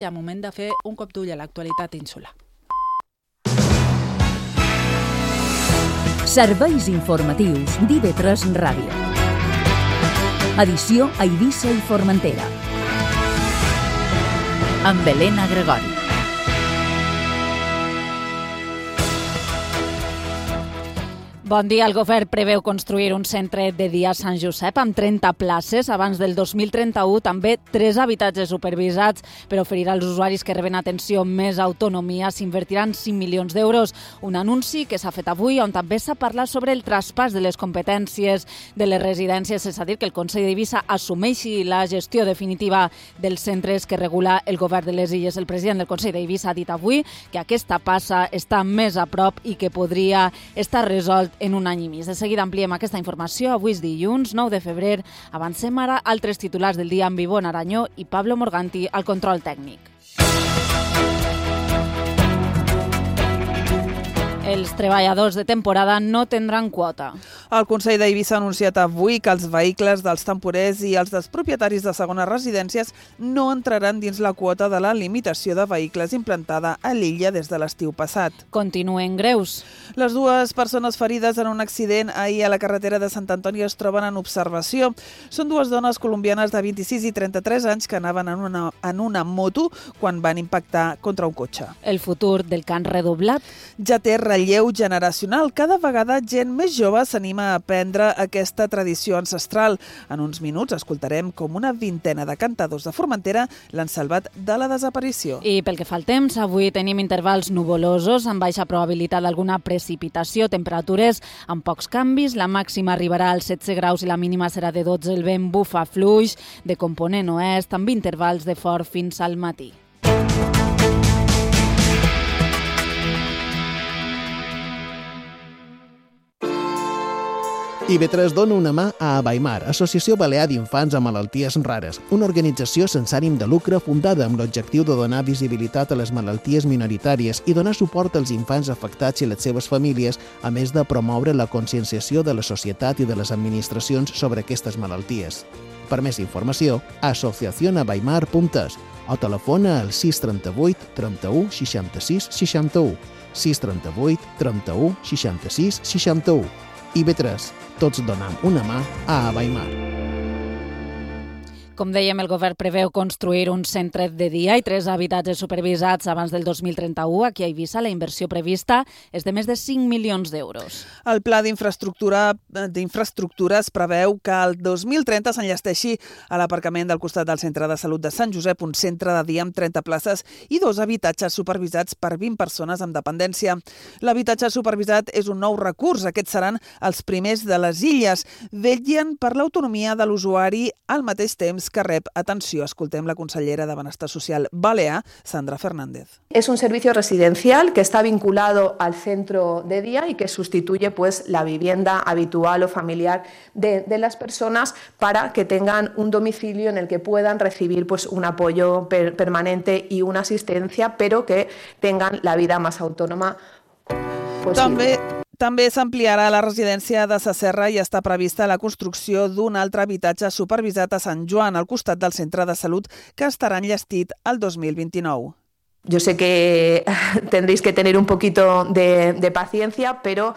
Hi ha moment de fer un cop d'ull a l'actualitat insular. Serveis informatius d'IV3 Ràdio. Edició a Eivissa i Formentera. Amb Helena Gregori. Bon dia. El govern preveu construir un centre de dia a Sant Josep amb 30 places abans del 2031, també 3 habitatges supervisats per oferir als usuaris que reben atenció més autonomia. S'invertiran 5 milions d'euros. Un anunci que s'ha fet avui on també s'ha parlat sobre el traspàs de les competències de les residències. És a dir, que el Consell d'Eivissa assumeixi la gestió definitiva dels centres que regula el govern de les Illes. El president del Consell d'Eivissa ha dit avui que aquesta passa està més a prop i que podria estar resolt en un any i mig. De seguida ampliem aquesta informació. Avui és dilluns, 9 de febrer. Avancem ara altres titulars del dia amb Ivonne Aranyó i Pablo Morganti al control tècnic. Els treballadors de temporada no tindran quota. El Consell d'Eivissa ha anunciat avui que els vehicles dels temporers i els dels propietaris de segones residències no entraran dins la quota de la limitació de vehicles implantada a l'illa des de l'estiu passat. Continuen greus. Les 2 persones ferides en un accident ahir a la carretera de Sant Antoni es troben en observació. Són 2 dones colombianes de 26 i 33 anys que anaven en una moto quan van impactar contra un cotxe. El futur del cant redoblat ja té relleu generacional. Cada vegada gent més jove s'anima a aprendre aquesta tradició ancestral. En uns minuts escoltarem com una vintena de cantadors de Formentera l'han salvat de la desaparició. I pel que fa al temps, avui tenim intervals nuvolosos amb baixa probabilitat d'alguna precipitació, temperatures amb pocs canvis. La màxima arribarà als 16 graus i la mínima serà de 12. El vent bufa fluix de component oest amb intervals de fort fins al matí. IV3 dona una mà a Abaimar, Associació Balear d'Infants amb Malalties Rares, una organització sense ànim de lucre fundada amb l'objectiu de donar visibilitat a les malalties minoritàries i donar suport als infants afectats i les seves famílies, a més de promoure la conscienciació de la societat i de les administracions sobre aquestes malalties. Per més informació, asociacionabaimar.es o telefona al 638 31 66 61, 638 31 66 61. IV3, tots donem una mà a Abaimar. Com dèiem, el govern preveu construir un centre de dia i 3 habitatges supervisats abans del 2031. Aquí a Eivissa la inversió prevista és de més de 5 milions d'euros. El pla d'infraestructures preveu que el 2030 s'enllesteixi a l'aparcament del costat del centre de salut de Sant Josep un centre de dia amb 30 places i 2 habitatges supervisats per 20 persones amb dependència. L'habitatge supervisat és un nou recurs. Aquests seran els primers de les illes. Vetllen per l'autonomia de l'usuari al mateix temps que rep atenció. Escoltem la consellera de Benestar Social balear, Sandra Fernández. Es un servicio residencial que está vinculado al centro de día y que sustituye la vivienda habitual o familiar de las personas para que tengan un domicilio en el que puedan recibir un apoyo permanente y una asistencia, pero que tengan la vida más autónoma posible. També s'ampliarà la residència de Sa Serra i està prevista la construcció d'un altre habitatge supervisat a Sant Joan, al costat del centre de salut, que estarà enllestit el 2029. Yo sé que tendréis que tener un poquito de paciencia, pero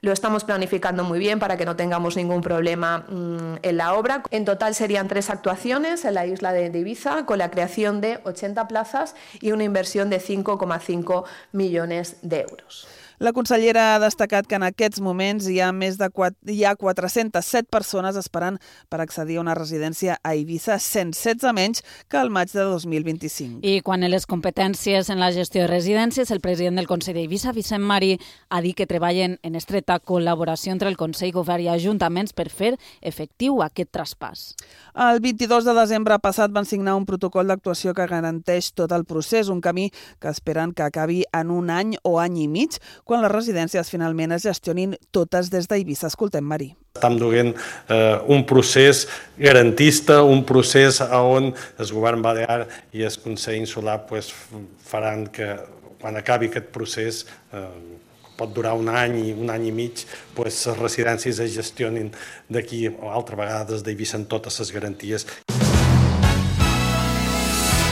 lo estamos planificando muy bien para que no tengamos ningún problema en la obra. En total serían 3 actuaciones en la isla de Ibiza, con la creación de 80 plazas y una inversión de 5,5 millones de euros. La consellera ha destacat que en aquests moments hi ha 407 persones esperant per accedir a una residència a Eivissa, 116 menys que al maig de 2025. I quan a les competències en la gestió de residències, el president del Consell d'Eivissa, Vicent Marí, ha dit que treballen en estreta col·laboració entre el Consell, Govern i Ajuntaments per fer efectiu aquest traspàs. El 22 de desembre passat van signar un protocol d'actuació que garanteix tot el procés, un camí que esperen que acabi en un any o any i mig, quan les residències finalment es gestionin totes des d'Eivissa. Escoltem, Marí. Estem duent un procés garantista, un procés on el govern balear i el Consell Insular faran que quan acabi aquest procés, pot durar un any i mig, les residències es gestionin d'aquí o altra vegada des d'Eivissa amb totes les garanties.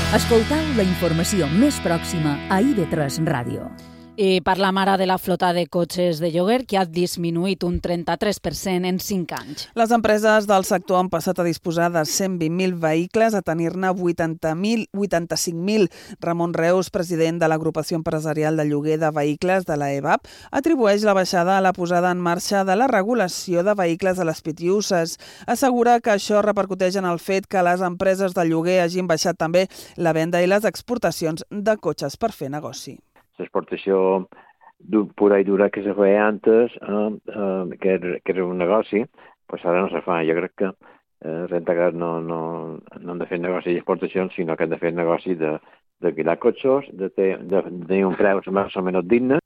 Escoltau la informació més pròxima a IB3 Ràdio. I parlam ara de la flota de cotxes de lloguer, que ha disminuït un 33% en 5 anys. Les empreses del sector han passat a disposar de 120.000 vehicles a tenir-ne 85.000. Ramon Reus, president de l'Agrupació Empresarial de Lloguer de Vehicles de la EVAP, atribueix la baixada a la posada en marxa de la regulació de vehicles a les pitiuses. Assegura que això repercuteix en el fet que les empreses de lloguer hagin baixat també la venda i les exportacions de cotxes per fer negoci. L'exportació pura i dura que se feia antes, que era un negoci, pues ara no se fa. Jo crec que Rentacar no han de fer negoci d'exportacions, sinó que han de fer negoci d'alquilar cotxes, de tenir un preu més o menys digne.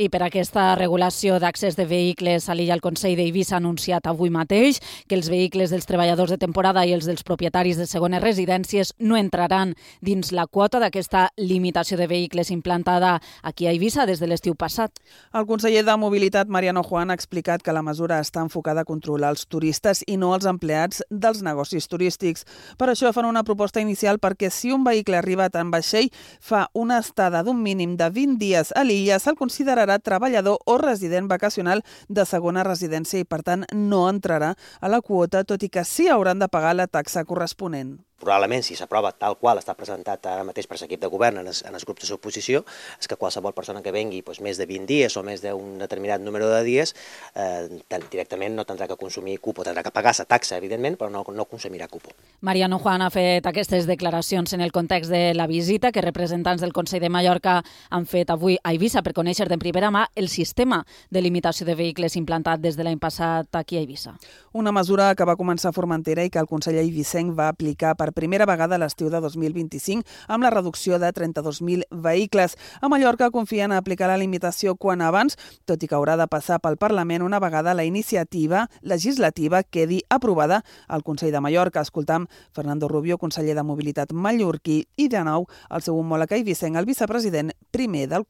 I per aquesta regulació d'accés de vehicles a l'illa, el Consell d'Eivissa ha anunciat avui mateix que els vehicles dels treballadors de temporada i els dels propietaris de segones residències no entraran dins la quota d'aquesta limitació de vehicles implantada aquí a Eivissa des de l'estiu passat. El conseller de Mobilitat, Mariano Juan, ha explicat que la mesura està enfocada a controlar els turistes i no els empleats dels negocis turístics. Per això fan una proposta inicial perquè si un vehicle arriba en vaixell fa una estada d'un mínim de 20 dies a l'illa, se'l considerarà treballador o resident vacacional de segona residència i, per tant, no entrarà a la quota, tot i que sí hauran de pagar la taxa corresponent. Probablement, si s'aprova tal qual està presentat ara mateix per l'equip de govern en els grups de suposició, és que qualsevol persona que vengui més de 20 dies o més d'un determinat número de dies directament no tindrà que consumir cupo, tindrà que pagar la taxa, evidentment, però no consumirà cupo. Mariano Juan ha fet aquestes declaracions en el context de la visita que representants del Consell de Mallorca han fet avui a Eivissa per conèixer de primera mà el sistema de limitació de vehicles implantat des de l'any passat aquí a Eivissa. Una mesura que va començar a Formentera i que el Consell eivissenc va aplicar per primera vegada a l'estiu de 2025 amb la reducció de 32.000 vehicles. A Mallorca confien a aplicar la limitació quan abans, tot i que haurà de passar pel Parlament una vegada la iniciativa legislativa quedi aprovada al Consell de Mallorca. Escoltam Fernando Rubio, conseller de Mobilitat mallorquí, i de nou el seu homòleg eivissenc, el vicepresident primer del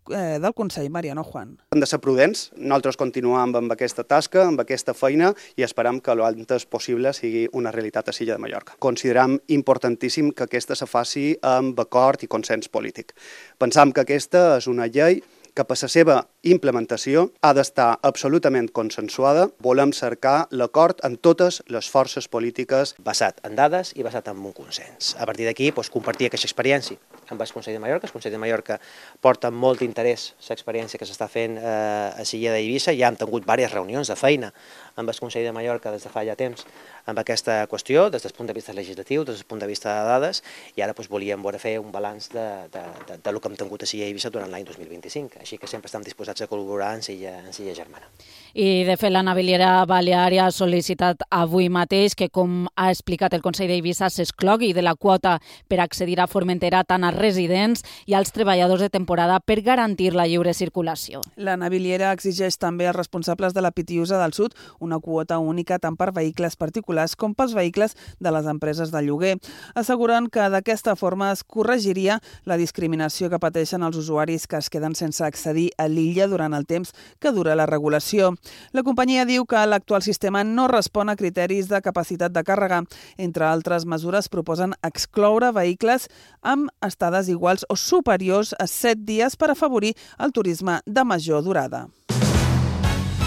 Consell, Mariano Juan. Hem de ser prudents, nosaltres continuem amb aquesta tasca, amb aquesta feina i esperem que l'antes possible sigui una realitat a l'illa de Mallorca. Considerem importantíssim que aquesta se faci amb acord i consens polític. Pensam que aquesta és una llei que per la seva implementació ha d'estar absolutament consensuada. Volem cercar l'acord amb totes les forces polítiques. Basat en dades i basat en un consens. A partir d'aquí, compartir aquesta experiència amb el Consell de Mallorca. El Consell de Mallorca porta amb molt interès l'experiència que s'està fent a l'illa d'Eivissa. Ja hem tingut diverses reunions de feina amb el Consell de Mallorca des de fa ja temps amb aquesta qüestió, des del punt de vista legislatiu, des del punt de vista de dades, i ara volíem fer un balanç del que hem tingut a l'illa d'Eivissa durant l'any 2025. Així que sempre estem disposats a col·laborar en l'illa germana. I, de fet, la Naviliera Baleària ha sol·licitat avui mateix que, com ha explicat el Consell d'Eivissa, s'exclogui de la quota per accedir a Formentera tant als residents i als treballadors de temporada per garantir la lliure circulació. La Naviliera exigeix també als responsables de la Pitiusa del Sud una quota única tant per vehicles particulars com pels vehicles de les empreses de lloguer. Asseguren que d'aquesta forma es corregiria la discriminació que pateixen els usuaris que es queden sense accedir a l'illa durant el temps que dura la regulació. La companyia diu que l'actual sistema no respon a criteris de capacitat de càrrega. Entre altres mesures, proposen excloure vehicles amb estades iguals o superiors a 7 dies per afavorir el turisme de major durada.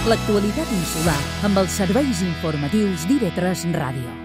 L'actualitat insular amb els serveis informatius d'IB3 Ràdio.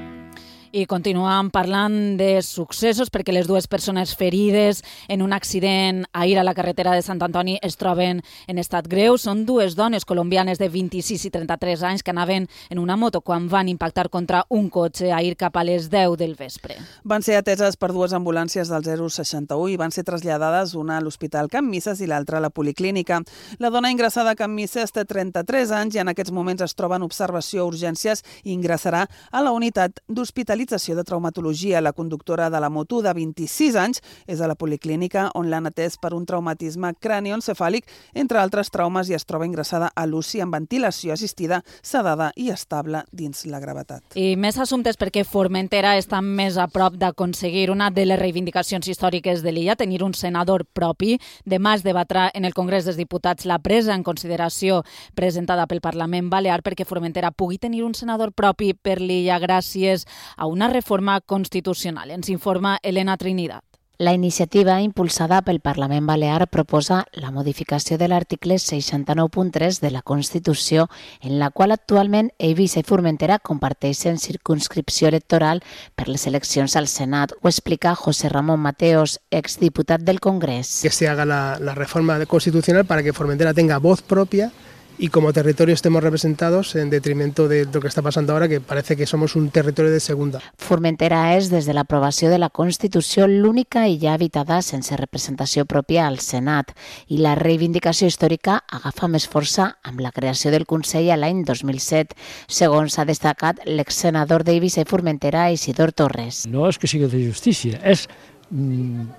I continuem parlant de successos perquè les dues persones ferides en un accident ahir a la carretera de Sant Antoni es troben en estat greu. Són dues dones colombianes de 26 i 33 anys que anaven en una moto quan van impactar contra un cotxe ahir cap a les 10 del vespre. Van ser ateses per dues ambulàncies del 061 i van ser traslladades, una a l'Hospital Can Misses i l'altra a la Policlínica. La dona ingressada a Can Misses té 33 anys i en aquests moments es troba en observació a urgències i ingressarà a la unitat d'hospitalització de traumatologia. La conductora de la moto, de 26 anys, és a la Policlínica, on l'han atès per un traumatisme cranioencefàlic, entre altres traumes, i es troba ingressada a l'UCI amb ventilació assistida, sedada i estable dins la gravetat. I més assumptes perquè Formentera està més a prop d'aconseguir una de les reivindicacions històriques de l'illa, tenir un senador propi. Demà es debatrà en el Congrés dels Diputats la presa en consideració presentada pel Parlament Balear perquè Formentera pugui tenir un senador propi per l'illa gràcies a una reforma constitucional. Ens informa Elena Trinidad. La iniciativa impulsada pel Parlament Balear proposa la modificació de l'article 69.3 de la Constitució, en la qual actualment Eivissa i Formentera comparteixen circumscripció electoral per les eleccions al Senat. Ho explica José Ramón Mateos, exdiputat del Congrés. Que se haga la reforma constitucional para que Formentera tenga voz propia y como territorio estemos representados en detrimento de lo que está pasando ahora, que parece que somos un territorio de segunda. Formentera és, des de l'aprovació de la Constitució, l'única illa habitada sense representació pròpia al Senat, i la reivindicació històrica agafa més força amb la creació del Consell a l'any 2007, segons ha destacat l'exsenador d'Eivissa i Formentera, Isidor Torres. No és que sigui de justícia, és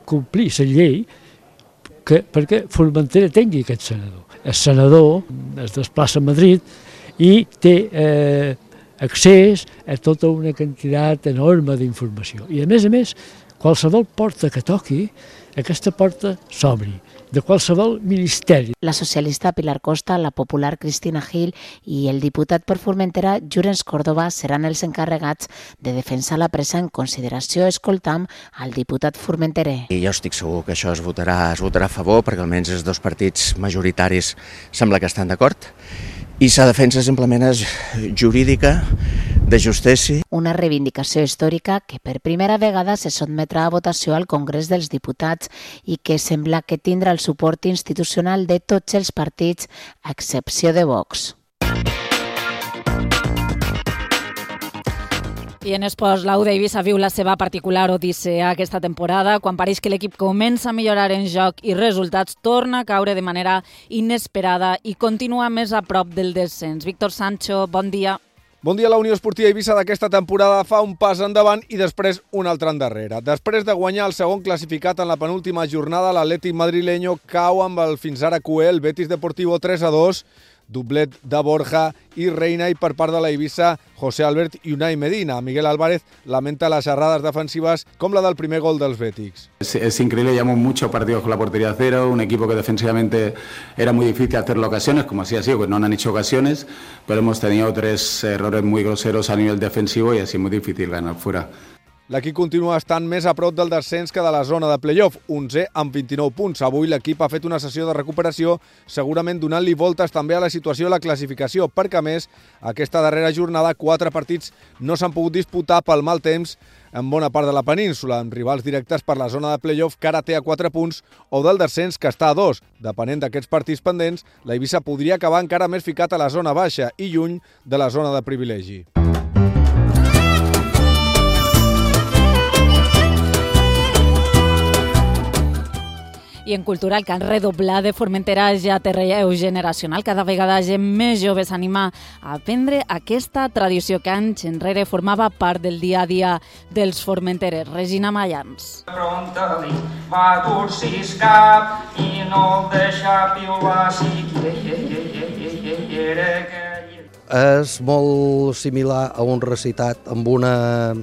complir la llei perquè Formentera tingui aquest senador. El senador es desplaça a Madrid i té accés a tota una quantitat enorme d'informació. I a més, qualsevol porta que toqui, aquesta porta s'obri, de qualsevol ministeri. La socialista Pilar Costa, la popular Cristina Gil i el diputat per Formentera, Llorenç Córdoba, seran els encarregats de defensar la presa en consideració. Escoltam al diputat formenterer. I jo estic segur que això es votarà a favor, perquè almenys els dos partits majoritaris sembla que estan d'acord. I la defensa simplement és jurídica, de justícia. Una reivindicació històrica que per primera vegada se sotmetrà a votació al Congrés dels Diputats i que sembla que tindrà el suport institucional de tots els partits, a excepció de Vox. I en esports, l'Au d'Eivissa viu la seva particular odissea aquesta temporada. Quan pareix que l'equip comença a millorar en joc i resultats, torna a caure de manera inesperada i continua més a prop del descens. Víctor Sancho, bon dia. Bon dia. La Unió Esportiva Eivissa d'aquesta temporada fa un pas endavant i després un altre endarrere. Després de guanyar el segon classificat en la penúltima jornada, l'Atlètic madrileño cau amb el fins ara cuer, el Betis Deportivo 3-2, doblet de Borja i Reina, i per part de la Eivissa, José Albert i Unai Medina. Miguel Álvarez lamenta las erradas defensivas com la del primer gol dels Bétics. Es increíble, llevamos muchos partidos con la portería a cero, un equipo que defensivamente era muy difícil hacerle ocasiones, como así ha sido, que no han hecho ocasiones, pero hemos tenido 3 errores muy groseros a nivel defensivo y así es muy difícil ganar fuera. L'equip continua estant més a prop del descens que de la zona de play-off, 11 amb 29 punts. Avui l'equip ha fet una sessió de recuperació, segurament donant-li voltes també a la situació de la classificació, perquè a més, aquesta darrera jornada 4 partits no s'han pogut disputar pel mal temps en bona part de la península, amb rivals directes per la zona de play-off que ara té a 4 punts o del descens que està a 2. Depenent d'aquests partits pendents, la Eivissa podria acabar encara més ficat a la zona baixa i lluny de la zona de privilegi. I en cultura, el cant redoblar de Formentera ja té relleu generacional. Cada vegada gent més jove s'anima a aprendre aquesta tradició que anys enrere formava part del dia a dia dels formenterers. Regina Mayans. Pronta-li va dur-sis cap i no el deixa piular si És molt similar a un recitat amb una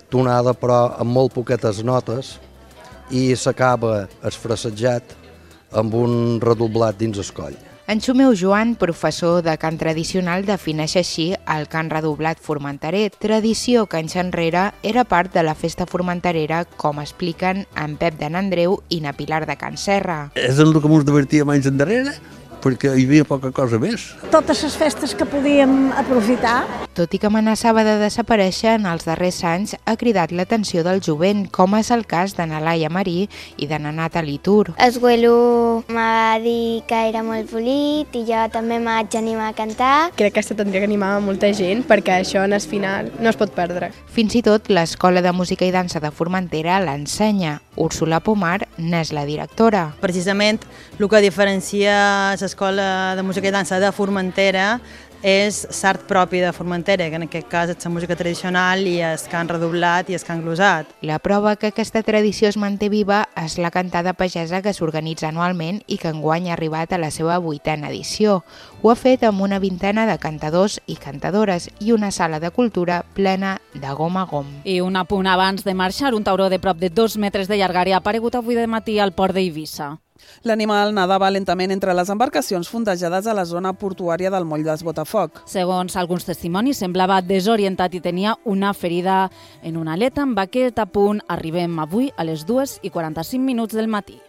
tonada però amb molt poquetes notes, i s'acaba esfrasejat amb un redoblat dins el coll. En Xumeu Joan, professor de cant tradicional, defineix així el cant redoblat formenterer, tradició que anys enrere era part de la festa formenterera, com expliquen en Pep de n'Andreu i na Pilar de Can Serra. És el que ens divertíem anys endarrere, perquè hi havia poca cosa més. Totes les festes que podíem aprofitar. Tot i que amenaçava de desaparèixer en els darrers anys, ha cridat l'atenció del jovent, com és el cas de na Laia Marí i de na Nathalie Tur. El Güelo m'ha dit que era molt polit i jo també m'haig animar a cantar. Crec que tindria que animar molta gent perquè això en el final no es pot perdre. Fins i tot l'Escola de Música i Dansa de Formentera l'ensenya. Úrsula Pomar n'és la directora. Precisament el que diferencia l'Escola de Música i Dansa de Formentera és l'art propi de Formentera, que en aquest cas és la música tradicional i el cant redoblat i el cant glosat. La prova que aquesta tradició es manté viva és la cantada pagesa que s'organitza anualment i que enguany ha arribat a la seva 8a edició. Ho ha fet amb una vintena de cantadors i cantadores i una sala de cultura plena de gom a gom. I un apunt abans de marxar, un tauró de prop de 2 metres de llargària ha aparegut avui de matí al port d'Eivissa. L'animal nadava lentament entre les embarcacions fondejades a la zona portuària del moll d'Es Botafoc. Segons alguns testimonis, semblava desorientat i tenia una ferida en una aleta. Amb aquest apunt arribem avui a les 2:45 del matí.